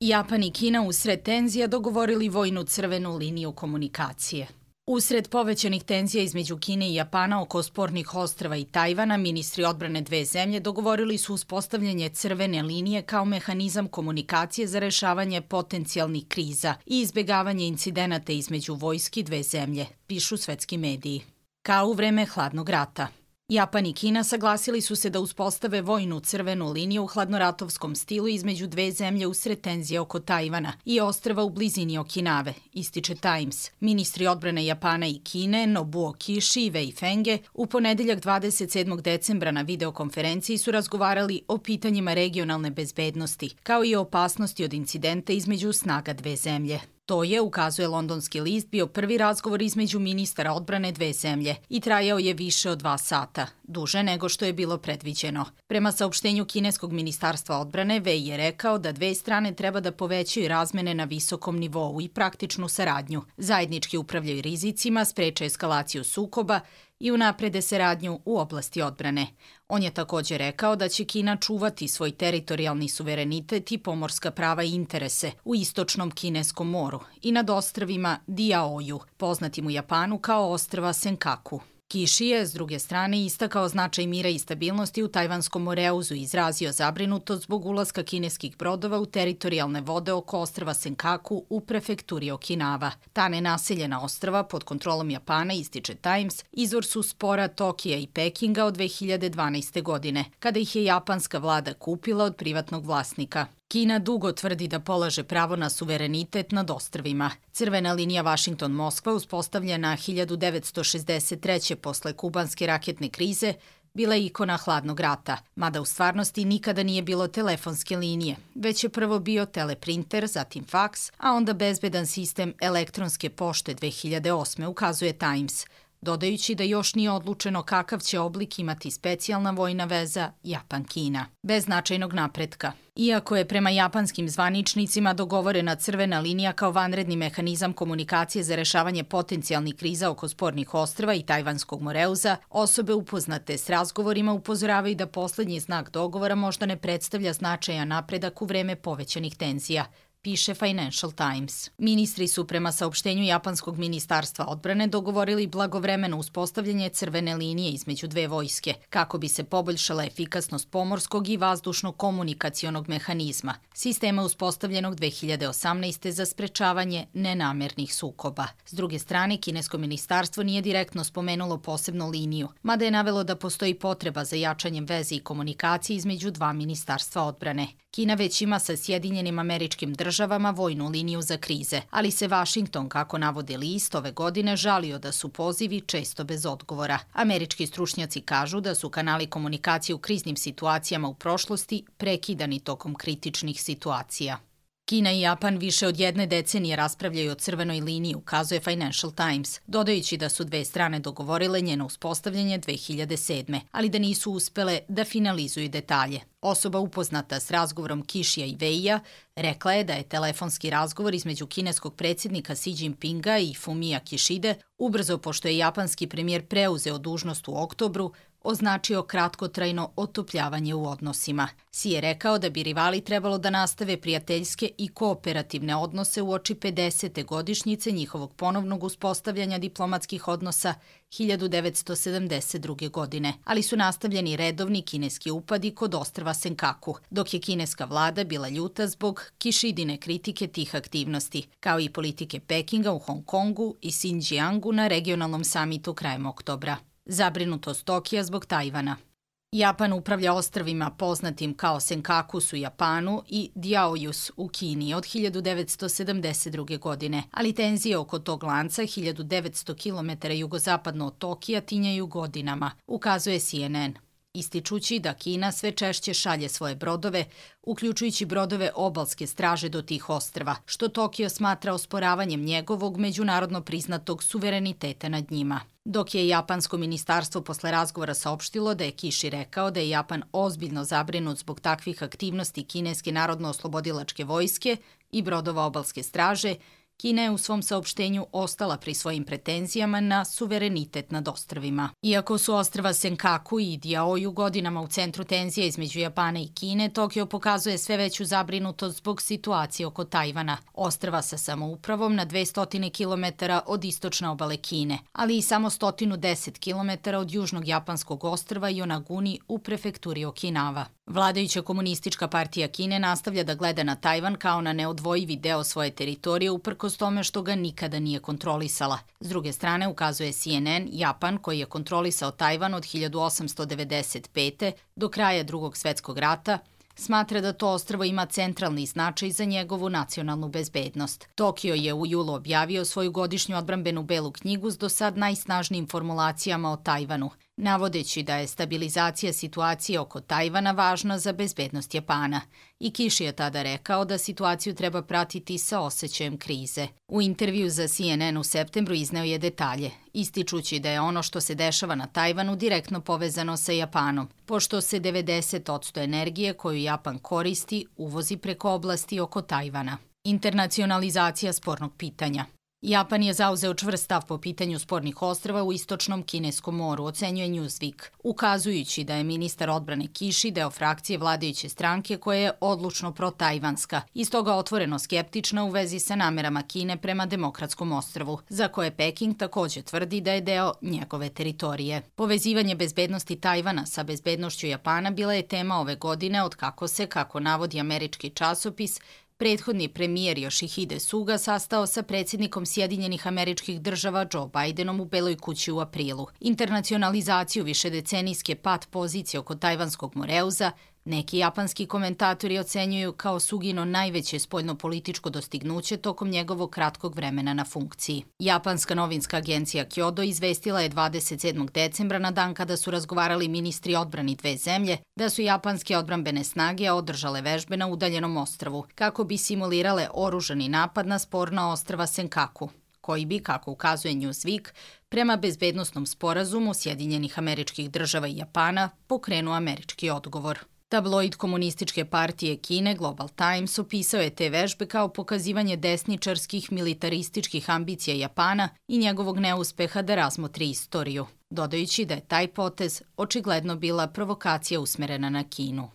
Japan i Kina usred tenzija dogovorili vojnu crvenu liniju komunikacije. Usred povećanih tenzija između Kine i Japana oko spornih ostrva i Tajvana, ministri odbrane dve zemlje dogovorili su uspostavljanje crvene linije kao mehanizam komunikacije za rešavanje potencijalnih kriza i izbegavanje incidenata između vojski dve zemlje, pišu svetski mediji. Kao u vreme hladnog rata. Japan i Kina saglasili su se da uspostave vojnu crvenu liniju u hladnoratovskom stilu između dve zemlje usred tenzije oko Tajvana i ostrva u blizini Okinave, ističe Times. Ministri odbrane Japana i Kine, Nobuo Kishi i Wei Fenge, u ponedeljak 27. decembra na videokonferenciji su razgovarali o pitanjima regionalne bezbednosti, kao i o opasnosti od incidenta između snaga dve zemlje. To je, ukazuje londonski list, bio prvi razgovor između ministara odbrane dve zemlje i trajao je više od 2 sata, duže nego što je bilo predviđeno. Prema saopštenju kineskog ministarstva odbrane, Wei je rekao da dve strane treba da povećaju razmene na visokom nivou i praktičnu saradnju, zajednički upravljaju rizicima, spreče eskalaciju sukoba i unaprede saradnju u oblasti odbrane. On je također rekao da će Kina čuvati svoj teritorijalni suverenitet i pomorska prava i interese u istočnom kineskom moru i nad ostrvima Diaoju, poznatim u Japanu kao ostrva Senkaku. Kishi je, s druge strane, istakao značaj mira i stabilnosti u Tajvanskom moreuzu i izrazio zabrinutost zbog ulaska kineskih brodova u teritorijalne vode oko ostrva Senkaku u prefekturi Okinava. Ta nenaseljena ostrva pod kontrolom Japana, ističe Times, izvor su spora Tokija i Pekinga od 2012. godine, kada ih je japanska vlada kupila od privatnog vlasnika. Kina dugo tvrdi da polaže pravo na suverenitet nad ostrvima. Crvena linija Washington-Moskva, uspostavljena 1963. posle kubanske raketne krize, bila je ikona hladnog rata, mada u stvarnosti nikada nije bilo telefonske linije, već je prvo bio teleprinter, zatim faks, a onda bezbedan sistem elektronske pošte 2008. ukazuje Times, dodajući da još nije odlučeno kakav će oblik imati specijalna vojna veza Japan-Kina. Bez značajnog napretka. Iako je prema japanskim zvaničnicima dogovorena crvena linija kao vanredni mehanizam komunikacije za rešavanje potencijalnih kriza oko spornih ostrva i Tajvanskog moreuza, osobe upoznate s razgovorima upozoravaju da poslednji znak dogovora možda ne predstavlja značajan napredak u vreme povećanih tenzija, piše Financial Times. Ministri su prema saopštenju Japanskog ministarstva odbrane dogovorili blagovremeno uspostavljanje crvene linije između dve vojske, kako bi se poboljšala efikasnost pomorskog i vazdušnog komunikacionog mehanizma, sistema uspostavljenog 2018. za sprečavanje nenamernih sukoba. S druge strane, kinesko ministarstvo nije direktno spomenulo posebnu liniju, mada je navelo da postoji potreba za jačanjem veze i komunikacije između dva ministarstva odbrane. Kina već ima sa Sjedinjenim Američkim Državama vojnu liniju za krize, ali se Washington, kako navodi list, ove godine žalio da su pozivi često bez odgovora. Američki stručnjaci kažu da su kanali komunikacije u kriznim situacijama u prošlosti prekidani tokom kritičnih situacija. Kina i Japan više od 1 decenije raspravljaju o crvenoj liniji, ukazuje Financial Times, dodajući da su dve strane dogovorile njeno uspostavljanje 2007. ali da nisu uspele da finalizuju detalje. Osoba upoznata s razgovorom Kishija i Weia rekla je da je telefonski razgovor između kineskog predsjednika Xi Jinpinga i Fumia Kishide, ubrzo pošto je japanski premijer preuzeo dužnost u oktobru, označio kratkotrajno otopljavanje u odnosima. Xi je rekao da bi rivali trebalo da nastave prijateljske i kooperativne odnose uoči 50. godišnjice njihovog ponovnog uspostavljanja diplomatskih odnosa 1972. godine, ali su nastavljeni redovni kineski upadi kod ostrva Senkaku, dok je kineska vlada bila ljuta zbog Kishidine kritike tih aktivnosti, kao i politike Pekinga u Hong Kongu i Xinjiangu na regionalnom samitu krajem oktobra. Zabrinutost Tokija zbog Tajvana. Japan upravlja ostrvima poznatim kao Senkakus u Japanu i Diaoyus u Kini od 1972. godine, ali tenzije oko tog lanca 1900 km jugozapadno od Tokija tinjaju godinama, ukazuje CNN. Ističući da Kina sve češće šalje svoje brodove, uključujući brodove obalske straže do tih ostrva, što Tokio smatra osporavanjem njegovog međunarodno priznatog suvereniteta nad njima. Dok je japansko ministarstvo posle razgovora saopštilo da je Kishi rekao da je Japan ozbiljno zabrinut zbog takvih aktivnosti kineske narodno-oslobodilačke vojske i brodova obalske straže, Kina je u svom saopštenju ostala pri svojim pretenzijama na suverenitet nad ostrvima. Iako su ostrva Senkaku i Diaoju godinama u centru tenzija između Japana i Kine, Tokio pokazuje sve veću zabrinutost zbog situacije oko Tajvana, ostrva sa samoupravom na 200 km od istočne obale Kine, ali i samo 110 km od južnog japanskog ostrva Yonaguni u prefekturi Okinawa. Vladajuća komunistička partija Kine nastavlja da gleda na Tajvan kao na neodvojivi deo svoje teritorije uprkos tome što ga nikada nije kontrolisala. S druge strane, ukazuje CNN, Japan, koji je kontrolisao Tajvan od 1895. do kraja Drugog svetskog rata, smatra da to ostrvo ima centralni značaj za njegovu nacionalnu bezbednost. Tokio je u julu objavio svoju godišnju odbrambenu belu knjigu s do sad najsnažnijim formulacijama o Tajvanu, navodeći da je stabilizacija situacije oko Tajvana važna za bezbednost Japana. I Kiši je tada rekao da situaciju treba pratiti sa osjećajem krize. U intervju za CNN u septembru izneo je detalje, ističući da je ono što se dešava na Tajvanu direktno povezano sa Japanom, pošto se 90% energije koju Japan koristi uvozi preko oblasti oko Tajvana. Internacionalizacija spornog pitanja. Japan je zauzeo čvrst stav po pitanju spornih ostrva u istočnom Kineskom moru, ocenjuje Newsweek, ukazujući da je ministar odbrane Kiši deo frakcije vladajuće stranke koja je odlučno protajvanska i stoga otvoreno skeptična u vezi sa namerama Kine prema Demokratskom ostrvu, za koje Peking takođe tvrdi da je deo njegove teritorije. Povezivanje bezbednosti Tajvana sa bezbednošću Japana bila je tema ove godine od kako se, kako navodi američki časopis, prethodni premijer Yoshihide Suga sastao sa predsjednikom Sjedinjenih Američkih Država Joe Bidenom u Beloj kući u aprilu. Internacionalizaciju višedecenijske pat pozicije oko tajvanskog Moreuza neki japanski komentatori ocenjuju kao Sugino najveće spoljnopolitičko dostignuće tokom njegovog kratkog vremena na funkciji. Japanska novinska agencija Kyodo izvestila je 27. decembra, na dan kada su razgovarali ministri odbrani dve zemlje, da su japanske odbrambene snage održale vežbe na udaljenom ostrvu, kako bi simulirale oružani napad na sporna ostrva Senkaku, koji bi, kako ukazuje Newsweek, prema bezbednosnom sporazumu Sjedinjenih Američkih Država i Japana pokrenuo američki odgovor. Tabloid komunističke partije Kine Global Times opisao je te vežbe kao pokazivanje desničarskih militarističkih ambicija Japana i njegovog neuspeha da razmotri istoriju, dodajući da je taj potez očigledno bila provokacija usmerena na Kinu.